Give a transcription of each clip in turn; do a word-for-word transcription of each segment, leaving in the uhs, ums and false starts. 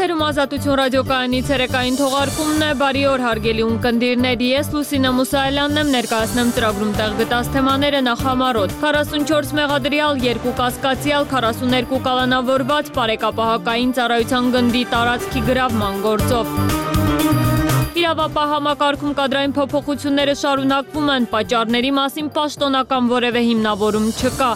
Եթերում Ազատություն ռադիոկայանի ցերեկային թողարկումն է, բարի օր հարգելի ունկնդիրներ, ես Լուսինե Մուսայելյանն եմ, ներկայացնեմ ծրագրում տեղ գտած թեմաները նախամարոտ, քառասունչորս մեղադրյալ, երկու կասկածյալ, քառասուներկու կալանավորված, բարեկապահակային ծառայության գնդի տարածքի գրավման գործով։ Իրավապահ համակարգում կադրային փոփոխությունները շարունակվում են, պատճառների մասին պաշտոնական որևէ հիմնավորում չկա։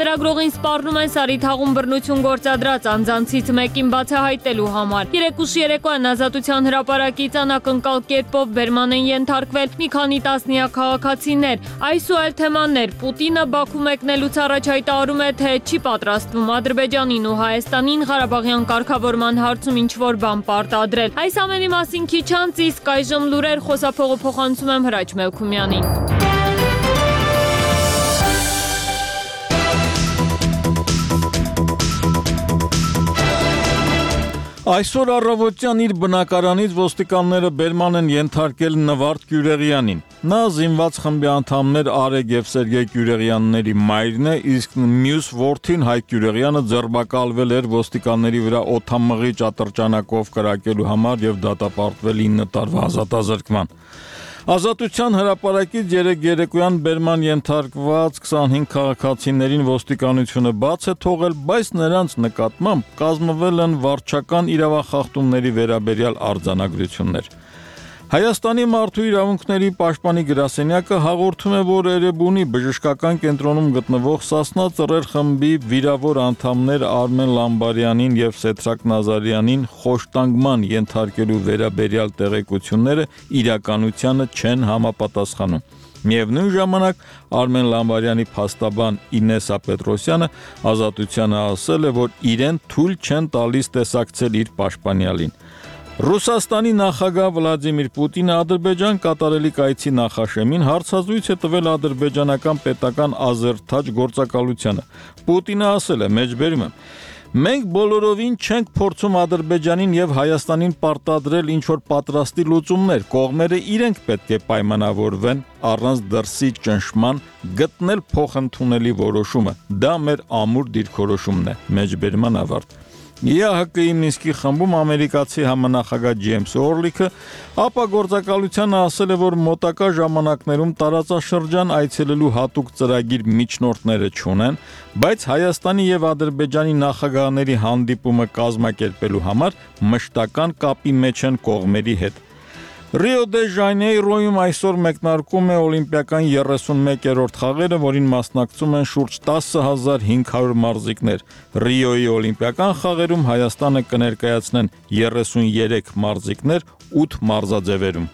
Լրագրողին սպառնում են Սարիթաղում բռնություն գործադրած անձանցից մեկին բացահայտելու համար։ Երեկուշ երեկոյան Ազատության հրապարակից անակնկալ կերպով բերման են ենթարկվել մի քանի տասնյակ քաղաքացիներ։ Այս ու այլ թեմաներ։ Պուտինը Բաքու մեկնելուց առաջ հայտարարում է, թե չի պատրաստվում Ադրբեջանին ու Հայաստանին Ղարաբաղյան կարգավորման հարցում ինչ-որ բան պարտադրել։ Այս ամենի մասին քիչ անց, իսկ այժմ լուրեր, խոսափողը փոխանցում եմ Հրաչ Մելքումյանին։ Այսօր առավոտյան իր բնակարանից ոստիկանները բերման են ենթարկել Նվարդ Գյուրեղյանին։ Նա զինված խմբի անդամներ Արեգ և Սերգեյ Գյուրեղյանների մայրն է, իսկ մյուս որդին Հայկ Գյուրեղյանը ձերբակալվել էր ոստիկանների վրա օդամղիչ ատրճանակով կրակելու համար և դատապարտվել ինը տարվա ազատազրկման։ Ազատության հրապարակից երեկ երեկոյան բերման ենթարկված քսանհինգ քաղաքացիներին ոստիկանությունը բաց է թողել, բայց նրանց նկատմամբ կազմվել են վարչական իրավախախտումների վերաբերյալ արձանագրություններ։ Հայաստանի մարդու իրավունքների պաշտպանի գրասենյակը հաղորդում է, որ Էրեբունի բժշկական կենտրոնում գտնվող Սասնա Ծռեր խմբի վիրավոր անդամներ Արմեն Լամբարյանին և Սեդրակ Նազարյանին խոշտանգման ենթարկելու վերաբերյալ տեղեկությունները իրականությանը չեն համապատասխանում։ Միևնույն ժամանակ Արմեն Լամբարյանի փաստաբան Ինեսա Պետրոսյանը Ազատությանը ասել է, որ իրեն թույլ չեն տալիս տեսակցել իր պաշտպանյալին։ Ռուսաստանի նախագահ Վլադիմիր Պուտինը Ադրբեջան կատարելիք այցի նախաշեմին հարցազրույց է տվել ադրբեջանական պետական ազերթաջ գործակալությանը։ Պուտինը ասել է, մեջբերում եմ. մենք բոլորովին չենք փորձում Ադրբեջանին և Հայաստանին պարտադրել ինչ-որ պատրաստի լուծումներ, կողմերը իրենք պետք է պայմանավորվեն առանց դրսի ճնշման գտնել փոխընդունելի որոշումը։ Դա մեր ամուր դիրքորոշումն է, մեջբերման ավարտ։ ԵԱՀԿ-ի Մինսկի խմբում ամերիկացի համանախագահ Ջեյմս Օրլիքը ապա գործակալությանը ասել է, որ մոտակա ժամանակներում տարածաշրջան այցելելու հատուկ ծրագիր միջնորդները չունեն, բայց Հայաստանի և Ադրբեջանի նախագահների հանդիպումը կազմակերպելու համար մշտական կապի մեջ են կողմերի հետ։ Ռիո դե Ժանեյրոյում այսօր մեկնարկում է օլիմպիական երեսունմեկերորդ խաղերը, որին մասնակցում են շուրջ տասը հազար հինգ հարյուր մարզիկներ։ Ռիոյի օլիմպիական խաղերում Հայաստանը կներկայացնեն երեսունյերեք մարզիկներ ութ մարզաձևերում։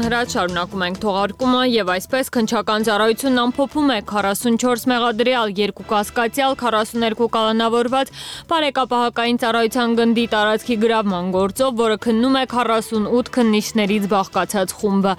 Հրաչ շարունակում ենք թողարկումը և այսպես քննչական ծառայությունն ամփոփում է քառասունչորս մեղադրյալ, երկու կասկածյալ, քառասուներկու կալանավորված բարեկապահակային ծառայության գնդի տարածքի գրավման գործով, որը քննում է քառասունութ քննիչներից բաղկացած խումբը։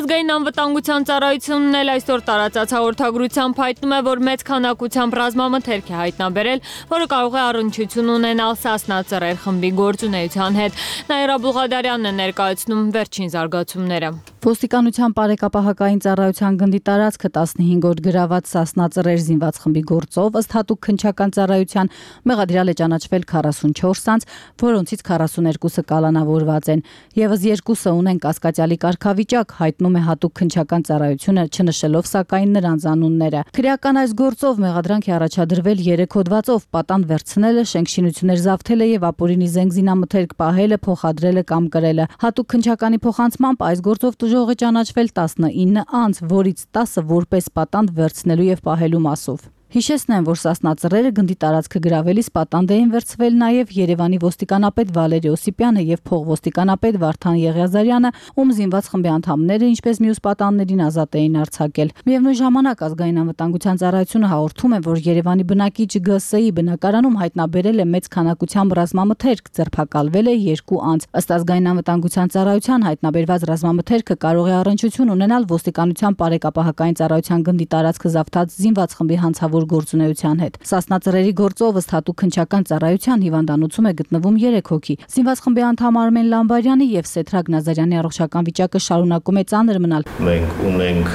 Ազգային անվտանգության ծառայությունն էլ այսօր տարածած հաղորդագրությամբ հայտնում է, որ մեծ քանակությամբ ռազմամթերք է հայտնաբերել, որը կարող է առնչություն ունենալ Սասնա Ծռեր խմբի գործունեության հետ։ Նաիրա Բուղադարյանն է ներկայացնում վերջին զարգացումները։ Ոստիկանության բարեկապահակային ծառայության գնդի տարածքը տասնհինգ օր գրաված Սասնա Ծռեր զինված խմբի գործով ըստ հատուկ քննչական ծառայության մեղադրյալ է ճանաչվել քառասունչորս անձ, որոնցից քառասուներկուսը կալանավորված են։ Եվս երկուսը ունեն կասկածյալի կարգավիճակ, հայտնում է հատուկ քննչական ծառայությունը, չնշելով սակայն նրանց անունները։ Քրեական այս գործով մեղադրանք է առաջադրվել երեք հոդվածով՝ պատանդ վերցնելը, շենքշինություններ զավթելը և ապօրինի զենք զինամթերք պահելը, փոխադրելը կամ կրելը։ Հատուկ քննչականի փոխանցմամբ այս գործով Ուժող է ճանաչվել տասնինը անձ, որից տասը որպես պատանդ վերցնելու և պահելու մասով։ Հիշեցնեմ, որ Սասնա ծռերը գնդի տարածքը գրավելիս պատանդ էին վերցվել նաև Երևանի ոստիկանապետ Վալերի Օսիպյանը եւ փողոստիկանապետ Վարդան Եղիազարյանը, ում զինված խմբի անդամները, ինչպես մյուս պատանդներին ազատ էին արձակել։ Միևնույն ժամանակ ազգային անվտանգության ծառայությունը հաղորդում է, որ Երևանի բնակիչ Գ С-ի բնակարանում հայտնաբերել է մեծ քանակությամբ ռազմամթերք, ձերբակալվել է երկու անձ։ Ըստ ազգային անվտանգության ծառայության հայտնաբերված ռազմամթերքը կարող է առնչություն ունենալ ոստիկանության բարեկապահական ծառայության գնդի տարածքը զավթած զինված խմբի հանցավոր գործունեության հետ։ Սասնա ծռերի գործով ըստ հատուկ քննչական ծառայության հիվանդանոցում է գտնվում երեք հոգի։ Զինված խմբի անդամ Արմեն Լամբարյանի եւ Սեթրակ Նազարյանի առողջական վիճակը շարունակում է ծանր մնալ։ Մենք ունենք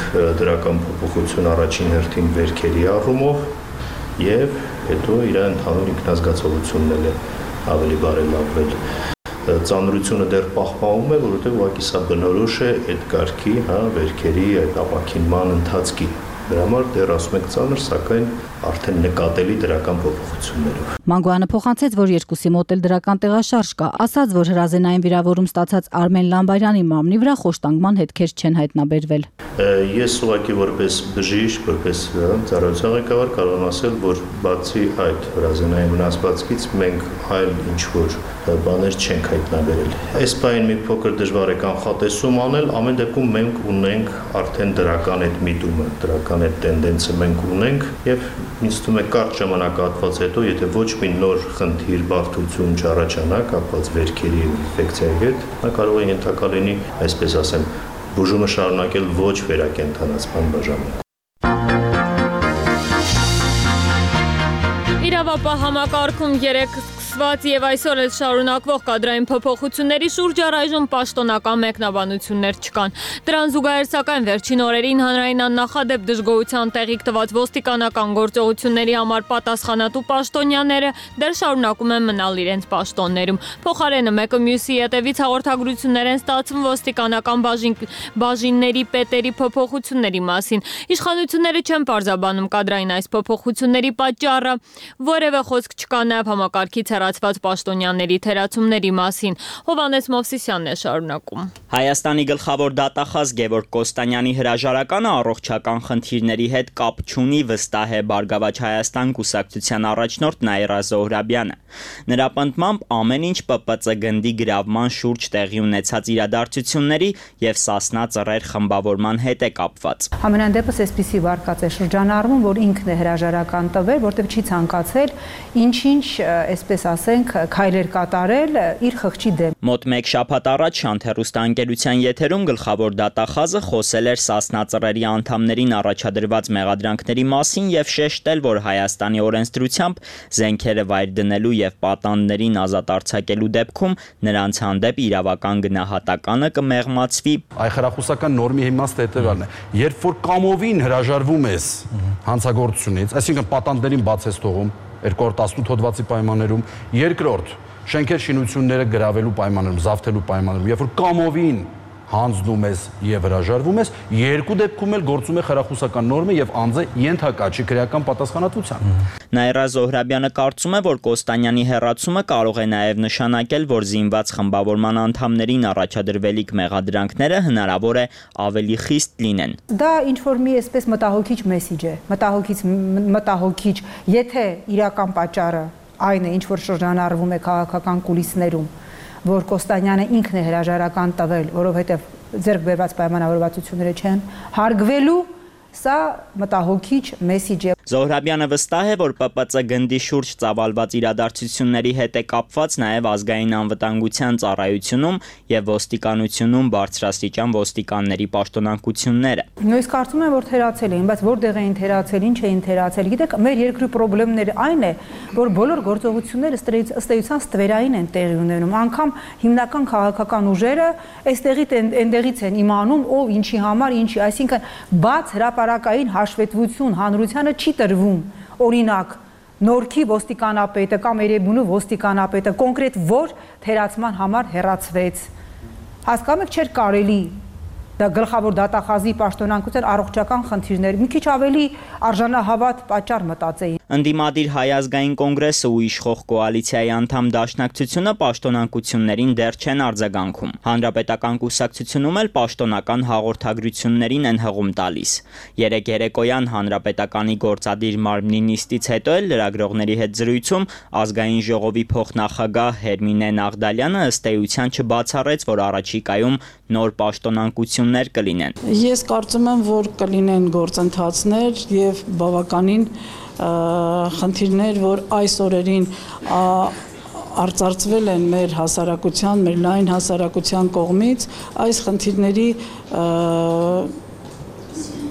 դրական փոփոխություն առաջին հերթին վերքերի առումով եւ հետո իր ընդհանուր ինքնազգացողությունն է ավելի բարելավվել։ Ծանրությունը դեռ պահպանվում է, որովհետեւ ուղղակի սա բնորոշ է այդ կարգի, հա, վերքերի այդ ապակինման ընթացքի։ Դրա համար դեռ ասում եք ծանր, սակայն արդեն նկատելի դրական փոփոխություններով։ Մանգոյանը փոխանցեց, որ երկուսի մոտ էլ դրական տեղաշարժ կա, ասաց, որ հրազենային վիրավորում ստացած Արմեն Լամբարյանի մամնի վրա խոշտանգման հետքեր չեն հայտնաբերվել։ Ես ուղղակի որպես բժիշկ, որպես ծառայության ղեկավար կարող եմ ասել, որ բացի այդ հրազենային վնասվածքից մենք այլ ինչ-որ բաներ չենք հայտնաբերել։ Այս բանին մի փոքր դժվար է կանխատեսում անել, ամեն դեպքում մենք ունենք արդեն դրական այդ միտումը, դրական այդ տենդենսը մենք ունենք եւ ինձ թվում է կարճ ժամանակահատված հետո, եթե ոչ մի նոր խնդիր, բարդություն չառաջանա կապված վերքերի ինֆեկցիայի հետ, նա կարող է ենթակա լինի, այսպես ասեմ, բուժումը շարունակել ոչ վերակենդանացման բաժանում։ Իրավապահ համակարգում երեք սկսված եւ այսօր էլ շարունակվող կադրային փոփոխությունների շուրջ առայժմ պաշտոնական մեկնաբանություններ չկան։ Դրան զուգահեռ սակայն վերջին օրերին հանրային աննախադեպ դժգոհության տեղիք տված ոստիկանական գործողությունների համար պատասխանատու պաշտոնյաները դեռ շարունակում են մնալ իրենց պաշտոններում։ Փոխարենը մեկը մյուսի ետևից հաղորդագրություններ են ստացվում ոստիկանական բաժին, բաժինների պետերի փոփոխությունների մասին։ Իշխանությունները չեն պարզաբանում կադրային այս փոփոխությունների պատճառը, որևէ խոսք չկա նաև համակարգից հեռացված պաշտոնյաների թերացումների մասին։ Հովհաննես Մովսիսյանն է շարունակում։ Հայաստանի գլխավոր դատախազ Գևորգ Կոստանյանի հրաժարականը առողջական խնդիրների հետ կապ չունի, վստահ է Բարգավաճ Հայաստան կուսակցության առաջնորդ Նաիրա Զոհրաբյանը։ Նրա պնդմամբ ամեն ինչ Պ Պ Ծ գնդի գրավման շուրջ տեղի ունեցած իրադարձությունների եւ Սասնա ծռեր խմբավորման հետ է կապված։ Ամենայն դեպս այսպիսի վարկած է շրջանառվում, որ ինքն է հրաժարական տվել, որտեղ չի ցանկացել ինչ-ինչ, այսպես ասենք, քայլեր կատարել իր խղճի դեմ։ Մոտ մեկ շաբաթ առաջ Շանթ հեռուստաընկերության եթերում գլխավոր դատախազը խոսել էր Սասնա ծռերի անդամներին առաջադրված մեղադրանքների մասին եւ շեշտել, որ Հայաստանի օրենսդրությամբ զենքերը վայր դնելու եւ պատանդներին ազատ արձակելու դեպքում նրանց հանդեպ իրավական գնահատականը կմեղմացվի։ Այ խրախուսական նորմի իմաստը հետեւյալն է. երբ որ կամովին հրաժարվում ես հանցագործությունից, այսինքն պատանդներին բաց ես թողում երկու հազար տասնութ հոդվածի պայմաններում, երկրորդ շենքեր շինությունները գրավելու պայմաններում, զավթելու պայմաններում, երբ որ կամովին հանձնում ես եւ հրաժարվում ես, երկու դեպքում էլ գործում է խրախուսական նորմը եւ անձը ենթակա չի քրեական պատասխանատվության։ Նաիրա Զոհրաբյանը կարծում է, որ Կոստանյանի հեռացումը կարող է նաեւ նշանակել, որ զինված խմբավորման անդամներին առաջադրվելիք մեղադրանքները հնարավոր է ավելի խիստ լինեն։ Դա ինչ որ մի այսպես մտահոգիչ մեսիջ է, մտահոգիչ մտահոգիչ, եթե իրական պատճառը այն է, ինչ որ շրջանառվում է քաղաքական կուլիսներում, որ Կոստանյանը ինքն է հրաժարական տվել, որովհետև ձեռք բերված պայմանավորվածությունները չեն հարգվելու, սա մտահոգիչ մեսիջ է։ Զոհրաբյանը վստահ է, որ Պ Պ Ծ գնդի շուրջ ծավալված իրադարձությունների հետ է կապված նաև ազգային անվտանգության ծառայությունում եւ ոստիկանությունում բարձրաստիճան ոստիկանների պաշտոնակությունները։ Նույնիսկ կարծում եմ, որ թերացել էին, բայց որտեղ էին թերացել, ինչ էին թերացել։ Գիտեք, մեր երկրի խնդիրները այն է, որ բոլոր գործողությունները ըստ էության ստվերային են տեղի ունենում։ Անկամ հիմնական քաղաքական ուժերը այստեղից այնտեղից են իմանում, ով ինչի համար, ինչի, այսինքն բաց հրապարակային հաշվետվություն հանրությանը չի տրվում, օրինակ Նորքի ոստիկանապետը կամ Էրեբունու ոստիկանապետը կոնկրետ որ թերացման համար հեռացվեց։ Հասկանում եք, չէր կարելի դա գլխավոր դատախազի պաշտոնանկության առողջական խնդիրներ մի քիչ ավելի արժանահավատ պատճառ մտածեին։ Ընդդիմադիր Հայ ազգային կոնգրեսը ու իշխող կոալիցիայի անդամ Դաշնակցությունը պաշտոնակություններին դեռ չեն արձագանքում։ Հանրապետական կուսակցությունում էլ պաշտոնական հաղորդագրություններին են հղում տալիս։ Երեկ երեկոյան Հանրապետականի գործադիր մարմնի նիստից հետո էլ լրագրողների հետ զրույցում ազգային ժողովի փոխնախագահ Հերմինե Նաղդալյանը ըստ էության չբացառեց, որ առաջիկայում նոր պաշտոնակություններ կլինեն։ Ես կարծում եմ, որ կլինեն գործընթացներ եւ բավականին խնդիրներ, որ այս օրերին արծարծվել են մեր հասարակության, մեր լայն հասարակության կողմից, այս խնդիրների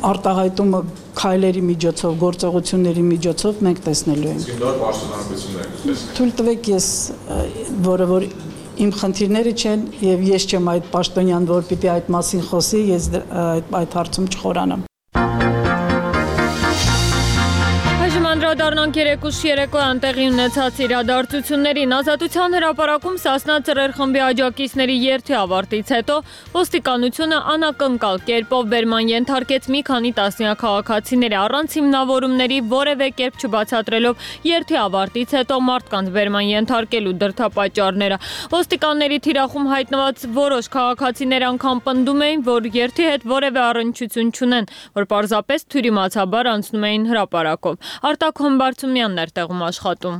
արտահայտումը քայլերի միջոցով, գործողությունների միջոցով մենք տեսնելու ենք։ Նոր պաշտոնակություններ։ Թույլ տվեք ես, որը որ իմ խնդիրները չեն եւ ես չեմ այդ պաշտոնյան, որ պիտի այդ մասին խոսի, ես այդ հարցում չխորանամ։ Անդրադառնանք երեկուշ երեկոյան տեղի ունեցած իրադարձություններին։ Ազատության հրապարակում Սասնա ծռեր խմբի աջակիցների երթի ավարտից հետո ոստիկանությունը անակնկալ կերպով բերման ենթարկեց մի քանի տասնյակ քաղաքացիների առանց հիմնավորումների որևէ կերպ չբացատրելով երթի ավարտից հետո մարդկանց բերման ենթարկելու դրդապատճառները։ Ոստիկանների թիրախում հայտնված որոշ քաղաքացիներ անգամ պնդում էին, որ երթի հետ որևէ առնչություն չունեն, որ պարզապես թյուրիմացաբար անցնում էին հրապարակով։ Արտակ Հոմբարձումյանն էր տեղում աշխատում։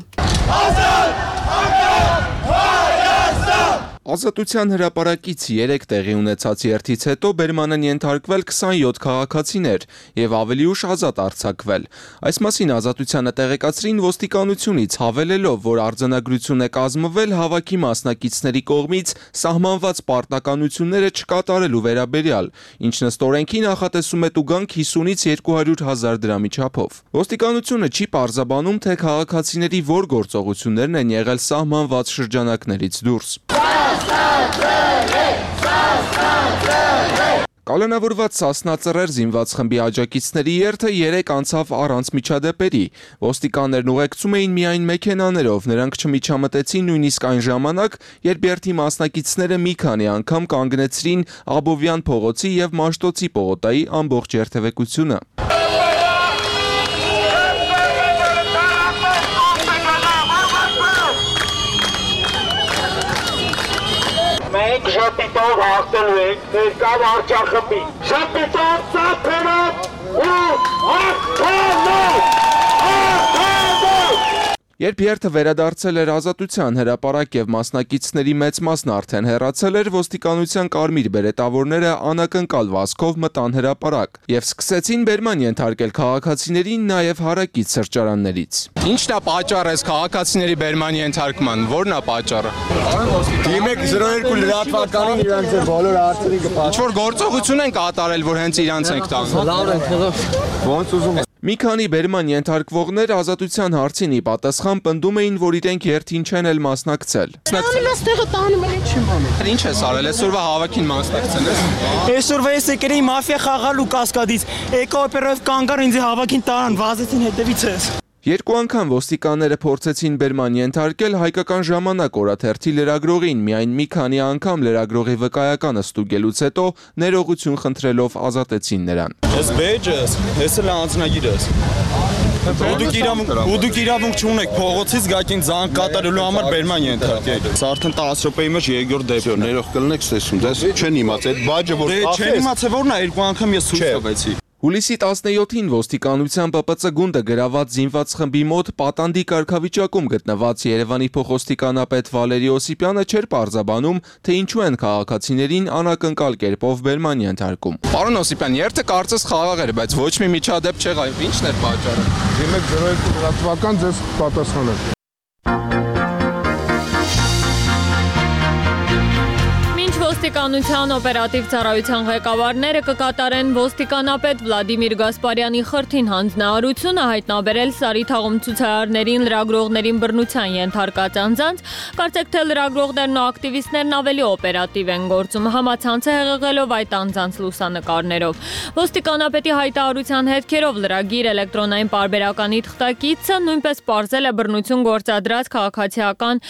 Ազատության հրապարակից երեք տեղի ունեցած երթից հետո բերման են ենթարկվել քսանյոթ քաղաքացիներ եւ ավելի ուշ ազատ արձակվել։ Այս մասին Ազատությանը տեղեկացրին ոստիկանությունից, հավելելով, որ արձանագրություն է կազմվել հավաքի մասնակիցների կողմից սահմանված պարտականությունները չկատարելու վերաբերյալ, ինչն ըստ օրենքի նախատեսում է տուգանք հիսունից երկու հարյուր հազար դրամի չափով։ Ոստիկանությունը չի պարզաբանում, թե քաղաքացիների որ գործողություններն են եղել սահմանված շրջանակներից դուրս։ Կալանավորված Սասնա ծռեր զինված խմբի աջակիցների երթը երեք անցավ առանց միջադեպերի։ Ոստիկաններն ուղեկցում էին միայն մեքենաներով, նրանք չմիջամտեցին նույնիսկ այն ժամանակ, երբ երթի մասնակիցները մի քանի անգամ կանգնեցրին Աբովյան փողոցի եւ Մաշտոցի պողոտայի ամբողջ երթևեկությունը։ Մենք ժապիտով հաղթելու ենք ներկա վարչախմբի։ Ժապիտով ծափերով ու հաղթանով, հաղթանով։ Երբ երթը վերադարձել էր Ազատության հրապարակ եւ մասնակիցների մեծ մասն արդեն հեռացել էր, ոստիկանության կարմիր բերետավորները անակնկալ վազքով մտան հրապարակ եւ սկսեցին բերման ենթարկել քաղաքացիներին նաեւ հարակից սրճարաններից։ Ինչն է պատճառը այս քաղաքացիների բերման ենթարկման, որն է պատճառը։ Դիմեք զրո երկու լրատվականին իրանց բոլոր հարցերի կպատասխանեն։ Ինչ որ գործողություն են կատարել, որ հենց իրանց ենք տանում։ Լավ են, ոնց ուզում եք։ Մի քանի բերման ենթարկվողներ Ազատության հարցին ի պատասխան պնդում էին, որ իրենք երթին չեն էլ մասնակցել։ Ստեղը տանում են ինչ անում։ Ինչ ես արել, այսօրվա հավաքին մասնակցել ես։ Այսօրվա ես եկել էի մաֆիա խաղալու Կասկադից։ Էկո օպերով կանգար ինձ հավաքին տարան, վազեցին հետևից ես։ Երկու անգամ ոստիկանները փորձեցին բերման ենթարկել Հայկական ժամանակ օրաթերթի լրագրողին, միայն մի քանի անգամ լրագրողի վկայականը ստուգելուց հետո ներողություն խնդրելով ազատեցին նրան։ Ես բեջս, ես էլ անձնագիրս։ Դուք իրավունք, դուք իրավունք չունեք փողոցից գակին զանգ կատարելու համար բերման ենթարկել։ Սա արդեն տասը րոպեի մեջ երկրորդ դեպքն է։ Ներող կլնեք ստեսում, դες չեն իմաց այդ բաժը որ կաֆես։ Դե չեն իմացել որն է, երկու անգամ ես ցույց տվեցի։ Հուլիսի տասնյոթին ոստիկանության Պ Պ Ց գունդը գրաված զինված խմբի մոտ պատանդի կարգավիճակում գտնված Երևանի փոխոստիկանապետ Վալերի Օսիպյանը չէր պարզաբանում, թե ինչու են քաղաքացիներին անակնկալ կերպով բերման ենթարկում։ Պարոն Օսիպյան, երթը կարծես խաղաղ էր, բայց ոչ մի միջադեպ չեղավ։ Ինչն էր պատճառը։ Դիմեք զրո երկու լրատվական ձեզ պատասխանեն։ Ոստիկանության օպերատիվ ծառայության ղեկավարները կկատարեն ոստիկանապետ Վլադիմիր Գասպարյանի խրթին հանձնարարությունը հայտնաբերել Սարի թաղում ցուցարարներին, լրագրողներին բռնության ենթարկած անձանց, կարծեք թե լրագրողներն ու ակտիվիստներն ավելի օպերատիվ են գործում, համացանց է հեղեղելով այդ անձանց լուսանկարներով։ Ոստիկանապետի հայտարարության հետքերով լրագիր էլեկտրոնային պարբերականի թղթակիցը նույնպես պարզել է բռնություն գործադրած քաղաքացիական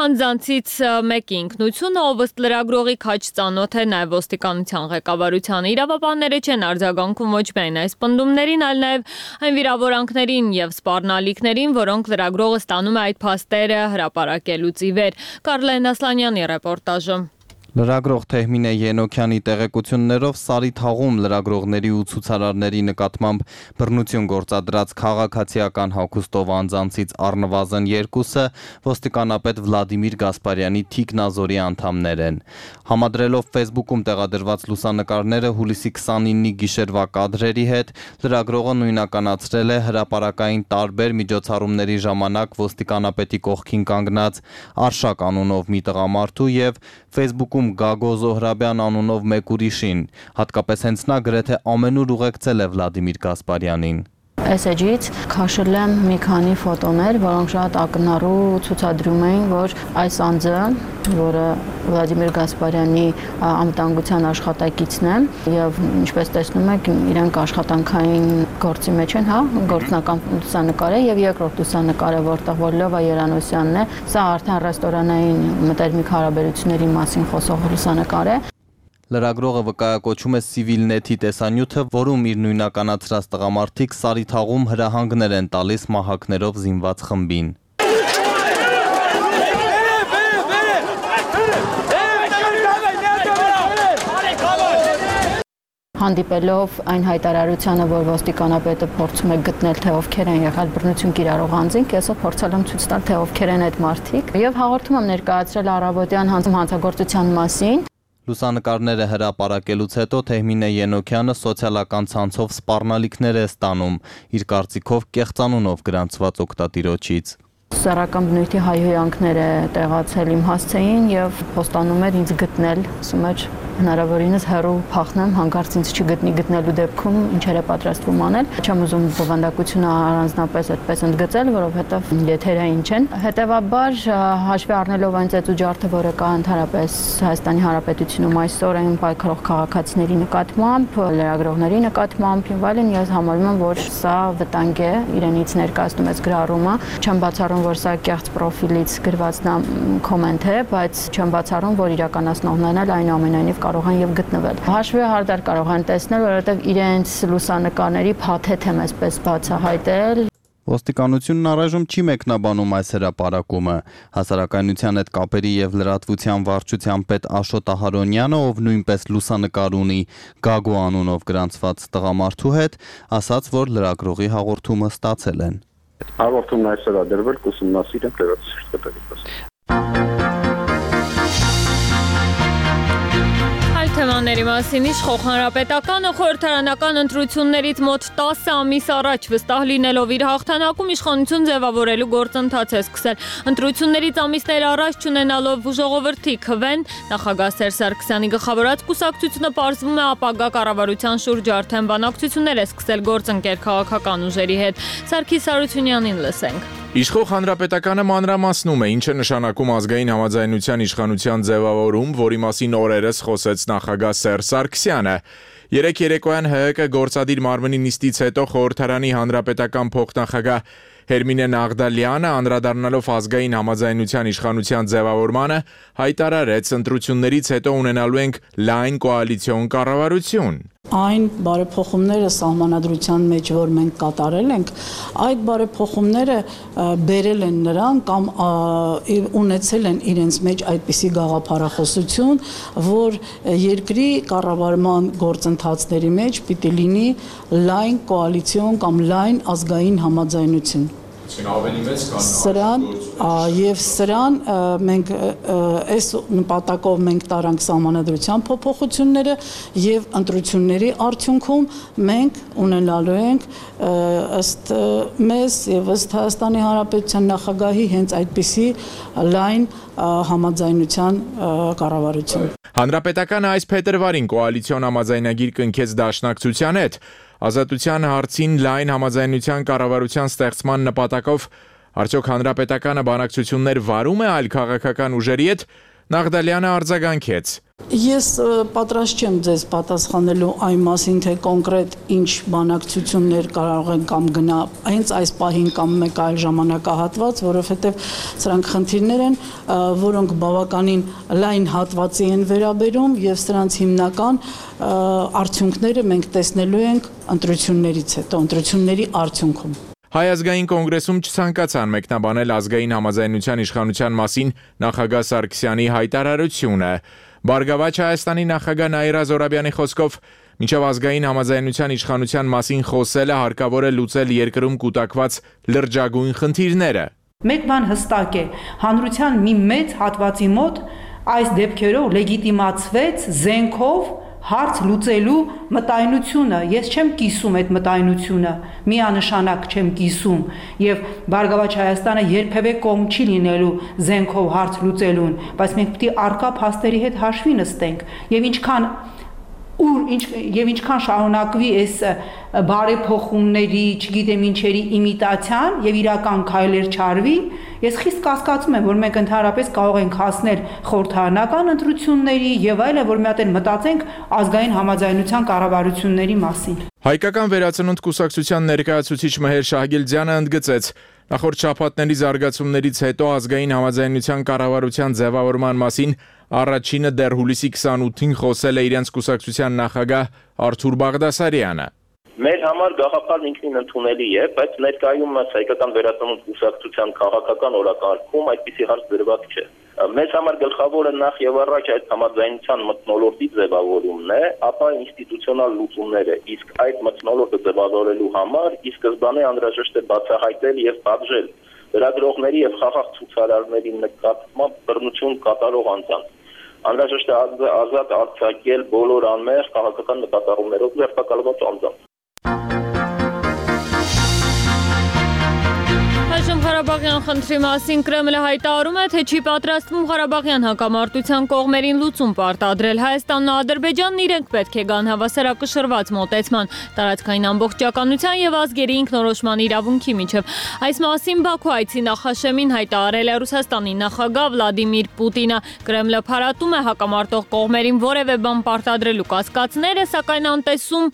անձանցից մեկի ինքնությունը, ով ըստ լրագրողի քաջ ծանոթ է նաև ոստիկանության ղեկավարությանը։ Իրավաբանները չեն արձագանքում ոչ միայն այս պնդումներին, այլ նաև այն վիրավորանքներին եւ սպառնալիքներին, որոնք լրագրողը ստանում է այդ փաստերը հրապարակելուց ի վեր։ Կարլեն Ասլանյանի ռեպորտաժը։ Լրագրող Թեհմինե Ենոքյանի տեղեկություններով Սարի թաղում լրագրողների ու ցուցարարների նկատմամբ բռնություն գործադրած քաղաքացիական հագուստով անձանցից առնվազն երկուսը ոստիկանապետ Վլադիմիր Գասպարյանի թիկնազորի անդամներ են։ Համադրելով Facebook-ում տեղադրված լուսանկարները հուլիսի քսանինի գիշերվա կադրերի հետ, լրագրողը նույնականացրել է հրապարակային տարբեր միջոցառումների ժամանակ ոստիկանապետի կողքին կանգնած Արշակ անունով մի տղամարդու եւ Facebook-ում Գագո Զոհրաբյան անունով մեկ ուրիշին, հատկապես հենց նա գրեթե ամենուր ուղեկցել է Վլադիմիր Գասպարյանին։ Այս էջից քաշել եմ մի քանի ֆոտոներ, որոնք շատ ակնառու ցուցադրում էին, որ այս անձը, որը Վլադիմիր Գասպարյանի անվտանգության աշխատակիցն է, եւ ինչպես տեսնում եք, իրենք աշխատանքային գործի մեջ են, հա, գործնական լուսանկար է եւ երկրորդ լուսանկարը, որտեղ որ Լովա Երանոսյանն է, սա արդեն ռեստորանային մտերմիկ հարաբերությունների մասին խոսող լուսանկար է։ Լրագրողը վկայակոչում է Civilnet-ի տեսանյութը, որում իր նույնականացրած տղամարդիկ Սարի թաղում հրահանգներ են տալիս մահակներով զինված խմբին։ Հանդիպելով այն հայտարարությանը, որ ոստիկանապետը փորձում է գտնել, թե ովքեր են եղել բռնություն կիրառող անձինք, ես փորձել եմ ցույց տալ, թե ովքեր են այդ մարդիկ, եւ հաղորդում եմ ներկայացրել առավոտյան հանցագործության մասին։ Լուսանկարները հրապարակելուց հետո Թեհմինե Ենոքյանը սոցիալական ցանցով սպառնալիքներ է ստանում, իր կարծիքով կեղծանունով գրանցված օգտատիրոջից։ Սեռական բնույթի հայհոյանքներ է տեղացել իմ հասցեին եւ խոստանում էր ինձ գտնել, ասում էր հնարավորինս հեռու փախնեմ, հանկարծ ինձ չգտնի, գտնելու դեպքում ինչեր է պատրաստվում անել։ Չեմ ուզում բովանդակությունը առանձնապես այդպես ընդգծել, որովհետեւ եթերային չեն։ Հետևաբար հաշվի առնելով այն ծեծուջարդը, որը կա ընդհանրապես Հայաստանի Հանրապետությունում այսօր այն պայքարող քաղաքացիների նկատմամբ, լրագրողների նկատմամբ եւ այլն, ես համարում եմ, որ սա վտանգ է իրենից ներկայացնում այս գրառումը։ Չեմ բացառում, որ սա կեղծ պրոֆիլից գրված կոմենտ է, բայց չեմ բացառում, որ իրականացնողներն էլ այնուամենայնիվ կարող են եւ գտնվել։ Հաշվի հարդար կարող են տեսնել, որովհետեւ իրենց լուսանկարների փաթեթ եմ այսպես բացահայտել։ Ոստիկանությունն առայժմ չի մեկնաբանում այս հրապարակումը։ Հասարակայնության հետ կապերի եւ լրատվության վարչության պետ Աշոտ Ահարոնյանը, ով նույնպես լուսանկար ունի Գագո անունով գրանցված տղամարդու հետ, ասաց, որ լրագրողի հաղորդումը ստացել են։ Հաղորդումն այսօր է դրվել, կուսումնասիրենք լրատվության։ Թեմաների մասին իշխող հանրապետականը խորհրդարանական ընտրություններից մոտ տասը ամիս առաջ վստահ լինելով իր հաղթանակում իշխանություն ձևավորելու գործընթաց է սկսել։ Ընտրություններից ամիսներ առաջ չունենալով ժողովրդի քվեն, նախագահ Սերժ Սարգսյանի գլխավորած կուսակցությունը պարզվում է ապագա կառավարության շուրջ արդեն բանակցություններ է սկսել գործընկեր քաղաքական ուժերի հետ։ Սարգիս Հարությունյանին լսենք։ Իշխող հանրապետականը մանրամասնում է, ինչ է նշանակում ազգային համաձայնության իշխանության ձևավորում, որի մասին օրերս խոսեց նախագահ Սերժ Սարգսյանը։ Երեկ երեկոյան ՀՀԿ գործադիր մարմնի նիստից հետո խորհրդարանի հանրապետական փոխնախագահ Հերմինե Նաղդալյանը, անդրադառնալով ազգային համաձայնության իշխանության ձևավորմանը, հայտարարեց, ընտրություններից հետո ունենալու ենք լայն կոալիցիոն կառավարություն։ Այն բարեփոխումները սահմանադրության մեջ, որ մենք կատարել ենք, այդ բարեփոխումները բերել են նրան կամ ունեցել են իրենց մեջ այդպիսի գաղափարախոսություն, որ երկրի կառավարման գործընթացների մեջ պիտի լինի լայն կոալիցիոն կամ լայն ազգային համաձայնություն։ Սրան եւ սրան մենք այս նպատակով մենք տարանք սահմանադրության փոփոխությունները եւ ընտրությունների արդյունքում մենք ունենալու ենք ըստ մեզ եւ ըստ Հայաստանի Հանրապետության նախագահի հենց այդպիսի լայն համաձայնության կառավարություն։ Հանրապետականը այս փետրվարին կոալիցիոն համաձայնագիր կնքեց Դաշնակցության հետ։ Ազատության հարցին լայն համաձայնության կառավարության ստեղծման նպատակով արդյոք հանրապետականը բանակցություններ վարում է այլ քաղաքական ուժերի հետ, Նաղդալյանը արձագանքեց. Ես պատրաստ չեմ ձեզ պատասխանելու այն մասին, թե կոնկրետ ինչ բանակցություններ կարող են կամ գնա հենց այս պահին կամ մեկ այլ ժամանակահատված, որովհետև սրանք խնդիրներ են, որոնք բավականին լայն հատվածի են վերաբերում եւ սրանց հիմնական արդյունքները մենք տեսնելու ենք ընտրություններից հետո, ընտրությունների արդյունքում։ Հայ ազգային կոնգրեսում չցանկացան մեկնաբանել ազգային համաձայնության իշխանության մասին նախագահ Սարգսյանի հայտարարությունը։ Բարգավաճ Հայաստանի նախագահ Նաիրա Զոհրաբյանի խոսքով մինչև ազգային համաձայնության իշխանության մասին խոսելը հարկավոր է լուծել երկրում կուտակված լրջագույն խնդիրները։ Մեկ բան հստակ է, հանրության մի մեծ հատվածի մոտ այս դեպքերով լեգիտիմացվեց զենքով հարց լուծելու մտայնությունը, ես չեմ կիսում այդ մտայնությունը, միանշանակ չեմ կիսում եւ Բարգավաճ Հայաստանը երբևէ կողմ չի լինելու զենքով հարց լուծելուն, բայց մենք պետք է արկա փաստերի հետ հաշվի նստենք եւ ինչքան ուր ինչ եւ ինչքան շարունակվի այս բարեփոխումների, չգիտեմ ինչերի իմիտացիան եւ իրական քայլեր չարվի, ես խիստ կասկածում եմ, որ մենք ընդհանրապես կարող ենք հասնել խորհրդարանական ընտրությունների եւ այլն, որ մի հատ էլ մտածենք ազգային համաձայնության կառավարությունների մասին։ Հայկական վերածնունդ կուսակցության ներկայացուցիչ Մհեր Շահգիլդյանը ընդգծեց. Նախորդ շաբաթների զարգացումներից հետո ազգային համաձայնության կառավարության ձևավորման մասին առաջինը դեռ հուլիսի քսանութին խոսել է իրենց կուսակցության նախագահ Արթուր Բաղդասարյանը։ Մեր համար գաղափարն ինքնին ընդունելի է, բայց ներկայումս հայկական վերածնունդ կուսակցության քաղաքական օրակարգում այդպիսի հարց դրված չէ։ Մեզ համար գլխավորը նախ եւ առաջ այդ համաձայնության մթնոլորտի ձևավորումն է, ապա ինստիտուցիոնալ լուծումները, իսկ այդ մթնոլորտը ձևավորելու համար ի սկզբանե անհրաժեշտ է բացահայտել եւ պատժել լրագրողների եւ խաղաղ ցուցարարների նկատմամբ բռնություն կատարող անձանց։ Անհրաժեշտ է ազատ արձակել բոլոր անմեղ քաղաքական նկատառումներով ձերբակալված անձանց։ Այժմ Ղարաբաղյան խնդրի մասին Կրեմլը հայտարարում է, թե չի պատրաստվում Ղարաբաղյան հակամարտության կողմերին լուծում պարտադրել։ Հայաստանն ու Ադրբեջանն իրենք պետք է գան հավասարակշռված մոտեցման, տարածքային ամբողջականության եւ ազգերի ինքնորոշման իրավունքի միջև։ Այս մասին Բաքու այցի նախաշեմին հայտարարել է Ռուսաստանի նախագահ Վլադիմիր Պուտինը։ Կրեմլը փարատում է հակամարտող կողմերին որևէ բան պարտադրելու կասկածները, սակայն անտեսում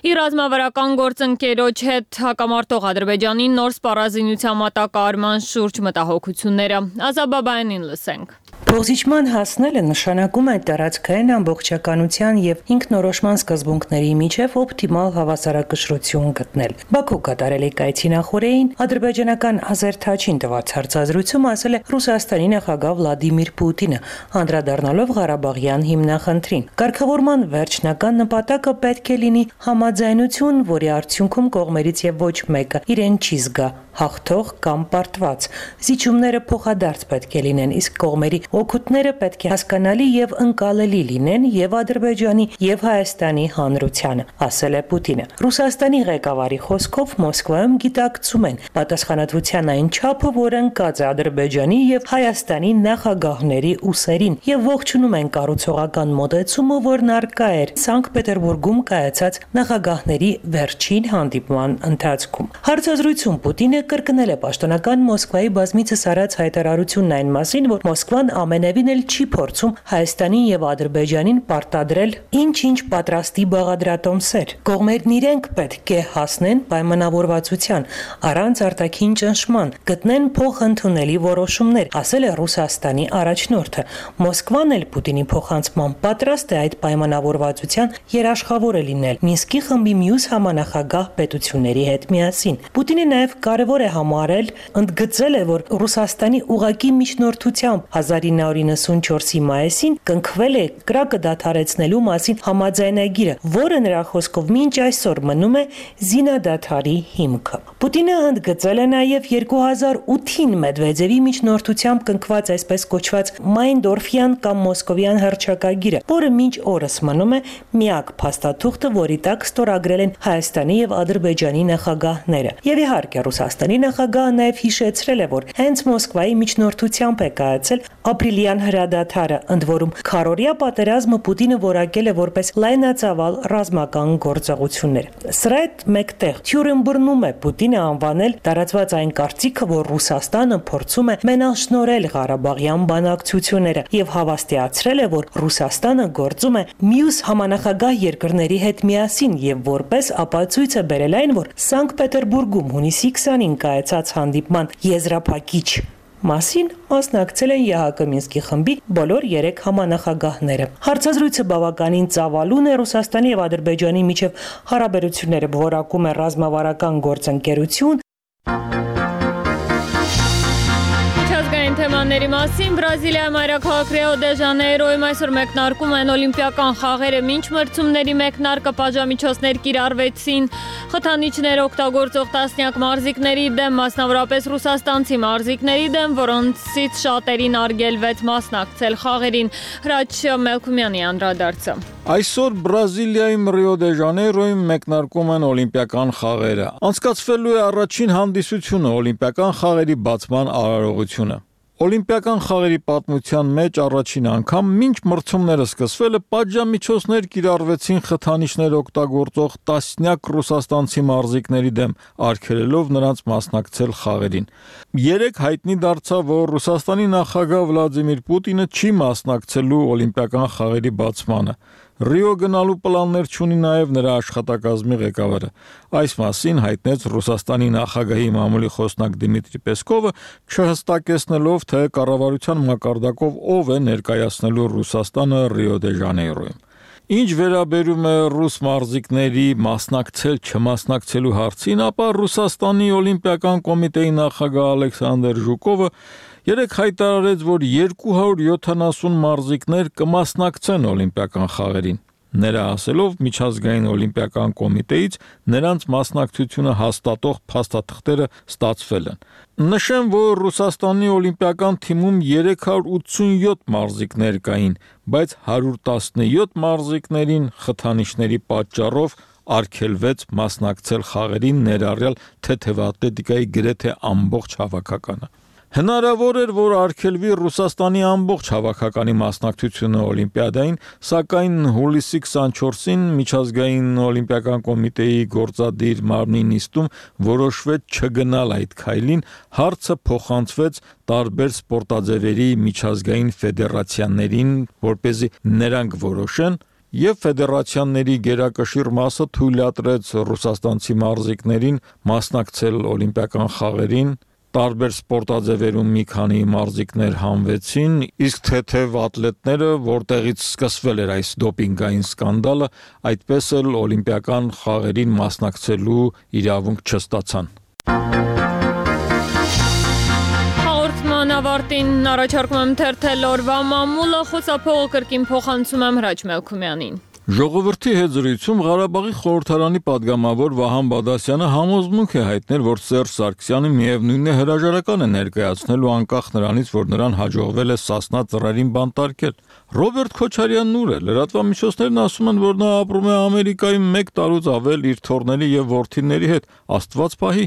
իր ռազմավարական գործընկերոջ հետ հակամարտող Ադրբեջանին նոր սպառազինության մատակարարման շուրջ մտահոգությունները։ Ազաբաբայանին լսենք։ Փոխզիջման հասնելը նշանակում է տարածքային ամբողջականության եւ ինքնորոշման սկզբունքների միջև օպտիմալ հավասարակշռություն գտնել։ Բաքու կատարելի կայցի նախորդին ադրբեջանական Ազերթաչին տված հարցազրույցում ասել է Ռուսաստանի նախագահ Վլադիմիր Պուտինը, անդրադառնալով Ղարաբաղյան հիմնախնդրին։ Կարգավորման վերջնական նպատակը պետք է լինի համաձայնություն, որի արդյունքում կողմերից եւ ոչ մեկը իրեն չի զգա հաղթող կամ պարտված։ Զիջումները փոխադարձ պետք է լինեն, իսկ կողմերի օգուտները պետք է հասկանալի եւ ընկալելի լինեն եւ Ադրբեջանի եւ Հայաստանի հանրությանը, ասել է Պուտինը։ Ռուսաստանի ղեկավարի խոսքով Մոսկվայում գիտակցում են պատասխանատվության այն չափը, որ ընկած է Ադրբեջանի եւ Հայաստանի նախագահների ուսերին եւ ողջունում են կառուցողական մոտեցումը, որն առկա էր Սանկտ Պետերբուրգում կայացած նախագահների վերջին հանդիպման ընթացքում։ Հարցազրույցում Պուտինը կրկնել է պաշտոնական Մոսկվայի բազմիցս արած հայտարարությունն այն մասին, որ Մոսկվան ամենևին էլ չի փորձում Հայաստանին եւ Ադրբեջանին պարտադրել ինչ-ինչ պատրաստի բաղադրատոմսեր։ Կողմերն իրենք պետք է հասնեն պայմանավորվածության, առանց արտաքին ճնշման, գտնեն փոխընդունելի որոշումներ, ասել է Ռուսաստանի առաջնորդը։ Մոսկվան էլ Պուտինի փոխանցման պատրաստ է այդ պայմանավորվածության երաշխավորը լինել Մինսկի խմբի մյուս համանախագահ պետությունների հետ միասին։ Պուտինը նաեւ կարևոր է համարել, ընդգծել է, որ Ռուսաստանի ուղակի միջնորդությամբ հազար ինը հարյուր նվաթ մայիսին կնքվել է կրակը դադարեցնելու մասին համաձայնագիրը, որը նրա խոսքով մինչ այսօր մնում է զինադադարի հիմքը։ Պուտինը ընդգծել է նաև երկու հազար ութին Մեդվեդևի միջնորդությամբ կնքված այսպես կոչված Մայնդորֆյան կամ Մոսկովյան հռչակագիրը, որը մինչ օրս մնում է միակ փաստաթուղթը, որի տակ ստորագրել են Հայաստանի եւ Ադրբեջանի նախագահները։ Եվ իհարկե Ռուսաստանի նախագահը նաև հիշեցրել է, որ հենց Մոսկվայի միջնորդությամբ է կայացել ապրիլյան հրադադարը, ընդ որում քառօրյա պատերազմը Պուտինը որակել է որպես լայնածավալ ռազմական գործողություններ։ Սրա հետ մեկտեղ Թյուրեն բռնում է Պուտինը անվանել տարածված այն կարծիքը, որ Ռուսաստանը փորձում է մենաշնորհել Ղարաբաղյան բանակցությունները եւ հավաստիացրել է, որ Ռուսաստանը գործում է մյուս համանախագահ երկրների հետ միասին եւ որպես ապացույց է բերել այն, որ Սանկտ Պետերբուրգում հունիսի քսանին կայացած հանդիպման եզրափակիչ մասին մասնակցել են ԵՀԿ Մինսկի խմբի բոլոր երեք համանախագահները։ Հարցազրույցը բավականին ծավալուն է Ռուսաստանի եւ Ադրբեջանի միջև հարաբերությունները որակում է ռազմավարական գործընկերություն։ Թեմաների մասին Բրազիլիայի մայրաքաղաք Ռիո դե Ժանեյրոյում այսօր մեկնարկում են օլիմպիական խաղերը, մինչ մրցումների մեկնարկը պատժամիջոցներ կիրառվեցին խթանիչներ օգտագործող տասնյակ մարզիկների դեմ, մասնավորապես ռուսաստանցի մարզիկների դեմ, որոնցից շատերին արգելվեց մասնակցել խաղերին։ Հրաչ Մելքումյանի անդրադարձը։ Այսօր Բրազիլիայում Ռիո դե Ժանեյրոյում մեկնարկում են օլիմպիական խաղերը։ Անցկացվելու է առաջին հանդիսությունը օլիմպիական խաղերի բացման արարողությունը։ Օլիմպիական խաղերի պատմության մեջ առաջին անգամ մինչ մրցումները սկսվելը պատժամիջոցներ կիրառվեցին խթանիչներ օգտագործող տասնյակ ռուսաստանցի մարզիկների դեմ, արգելելով նրանց մասնակցել խաղերին։ Երեք հայտնի դարձավ, որ Ռուսաստանի նախագահ Վլադիմիր Պուտինը չի մասնակցելու օլիմպիական խաղերի բացմանը։ Ռիո գնալու պլաններ չունի նաև նրա աշխատակազմի ղեկավարը։ Այս մասին հայտնեց Ռուսաստանի նախագահի մամուլի խոսնակ Դիմիտրի Պեսկովը, չհստակեցնելով, թե կառավարության մակարդակով ով է ներկայացնելու Ռուսաստանը Ռիո դե Ժանեյրոյում։ Ինչ վերաբերում է ռուս մարզիկների մասնակցել-չմասնակցելու հարցին, ապա Ռուսաստանի օլիմպիական կոմիտեի նախագահ Ալեքսանդր Ժուկովը երեք հայտարարեց, որ երկու հարյուր յոթանասուն մարզիկներ կմասնակցեն օլիմպիական խաղերին։ Նրա ասելով, միջազգային օլիմպիական կոմիտեից նրանց մասնակցությունը հաստատող փաստաթղթերը ստացվել են։ Նշեմ, որ Ռուսաստանի օլիմպիական թիմում երեք հարյուր ութսունյոթ մարզիկներ կային, բայց հարյուր տասնյոթ մարզիկներին խթանիչների պատճառով արգելվեց մասնակցել խաղերին, ներառյալ թեթևատլետիկայի գրեթե ամբողջ հավաքականը։ Հնարավոր էր, որ արգելվի Ռուսաստանի ամբողջ հավաքականի մասնակցությունը օլիմպիադային, սակայն հուլիսի քսանչորսին միջազգային օլիմպիական կոմիտեի գործադիր մարմնի նիստում որոշվեց չգնալ այդ քայլին, հարցը փոխանցվեց տարբեր սպորտաձևերի միջազգային ֆեդերացիաներին, որպեսզի նրանք որոշեն, եւ ֆեդերացիաների գերակշիռ մասը թույլատրեց ռուսաստանցի մարզիկներին մասնակցել օլիմպիական խաղերին։ Տարբեր սպորտաձևերում մի քանի մարզիկներ հանվեցին, իսկ թեթև ատլետները, որտեղից սկսվել էր այս դոպինգային սկանդալը, այդպես էլ օլիմպիական խաղերին մասնակցելու իրավունք չստացան։ Հաղորդման ավարտին առաջարկում եմ թերթել օրվա մամուլը, խոսափողը կրկին փոխանցում եմ Հրաչ Մելքումյանին։ Ժողովրդի հետ զրույցում Ղարաբաղի խորհրդարանի падգամավոր Վահան Բադասյանը համոզմունք է հայտնել, որ Սերժ Սարգսյանը միևնույն է հրաժարական է ներկայացնելու անկախ նրանից, որ նրան հաջողվել է Սասնա ծռերին բանտարկել։ Ռոբերտ Քոչարյանն ուր է։ Լրատվամիջոցներն ասում են, որ նա ապրում է Ամերիկայում մեկ տարուց ավել իր թոռների եւ որդիների հետ, Աստված պահի,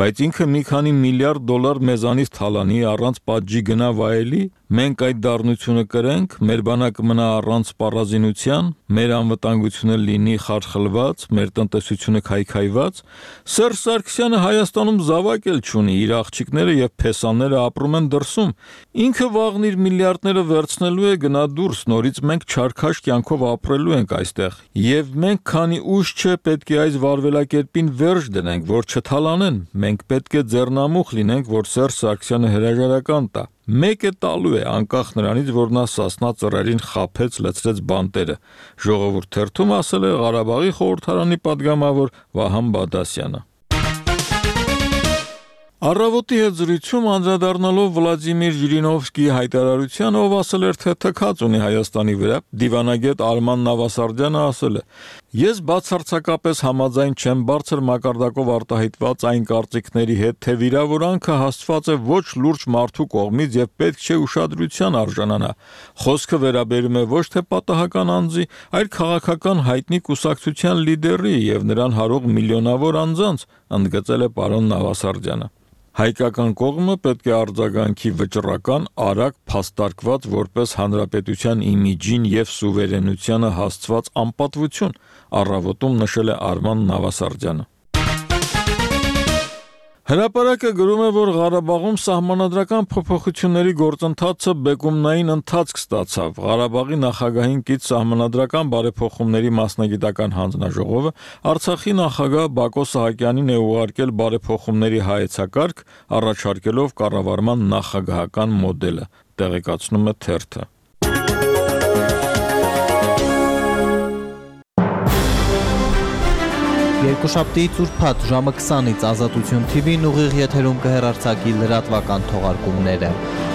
բայց ինքը մի քանի միլիարդ դոլար մեզանից թալանի առանց պատժի գնա վայելի։ Մենք այդ դառնությունը կրենք, մեր բանակը մնա առանց սպառազինության, մեր անվտանգությունը լինի խարխլված, մեր տնտեսությունը քայքայված։ Սերժ Սարգսյանը Հայաստանում զավակ էլ չունի, իր աղջիկները եւ փեսաները ապրում են դրսում։ Ինքը վաղն իր միլիարդները վերցնելու է գնա դուրս, նորից մենք չարքաշ կյանքով ապրելու ենք այստեղ։ Եվ մենք քանի ուշ չէ պետք է այս վարվելակերպին վերջ դնենք, որ չթալանեն։ Մենք պետք է ձեռնամուխ լինենք, որ Սերժ Սարգսյանը հրաժարական տա։ Մեկ է տալու է, անկախ նրանից, որ նա Սասնա ծռերին խաբեց, լցրեց բանտերը։ Ժողովուրդ թերթում ասել է Ղարաբաղի խորհրդարանի падգամավոր Վահան Բադասյանը։ Առավոտի հետ զրույցում անդրադառնալով Վլադիմիր Ժիրինովսկիի հայտարարությանը, ով ասել էր, թե թքած ունի Հայաստանի վրա, դիվանագետ Արման Նավասարդյանը ասել է. Ես բացարձակապես համաձայն չեմ բարձր մակարդակով արտահայտված այն կարծիքների հետ, թե վիրավորանքը հասցված է ոչ լուրջ մարդու կողմից եւ պետք չէ ուշադրության արժանանա։ Խոսքը վերաբերում է ոչ թե պատահական անձի, այլ քաղաքական հայտնի կուսակցության լիդերի եւ նրան հարող միլիոնավոր անձանց, ընդգծել է պարոն Նավասարդյանը։ Հայկական կողմը պետք է արձագանքի վճռական, արագ, փաստարկված որպես հանրապետության իմիջին եւ սուվերենությանը հասցված անպատվություն, առավոտում նշել է Արման Նավասարդյանը։ Հրապարակը գրում է, որ Ղարաբաղում սահմանադրական փոփոխությունների գործընթացը բեկումնային ընթացք ստացավ։ Ղարաբաղի նախագահին կից սահմանադրական բարեփոխումների մասնագիտական հանձնաժողովը Արցախի նախագահ Բակո Սահակյանին է ուղարկել բարեփոխումների հայեցակարգ, առաջարկելով կառավարման նախագահական մոդելը, տեղեկացնում է թերթը։ Երկուշաբթիից ուրբաթ ժամը քսանից Ազատություն թի վին ուղիղ եթերում կհեռարձակի լրատվական թողարկումները։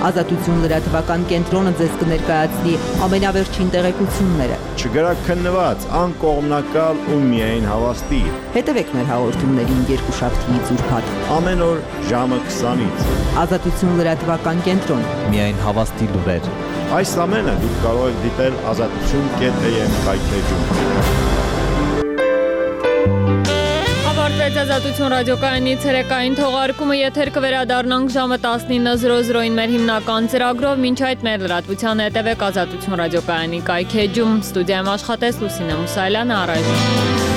Ազատություն լրատվական կենտրոնը ձեզ կներկայացնի ամենավերջին տեղեկությունները։ Չգրաքննված, անկողմնակալ ու միայն հավաստի։ Հետևեք մեր հաղորդումներին երկուշաբթիից ուրբաթ ամեն օր ժամը քսանից։ Ազատություն լրատվական կենտրոն։ Միայն հավաստի լուրեր։ Այս ամենը դուք կարող եք դիտել ազատություն կետ էմ կայքեջում։ Ավարտվեց Ազատություն ռադիոկայանի ցերեկային թողարկումը, եթեր կվերադառնանք ժամը տասնինը զրո զրոին մեր հիմնական ծրագրով, մինչ այդ մեր լրատվության հետևեք Ազատություն ռադիոկայանի կայքեջում։ Ստուդիայում աշխատեց Լուսինե Մուսայելյանը, առայժմ։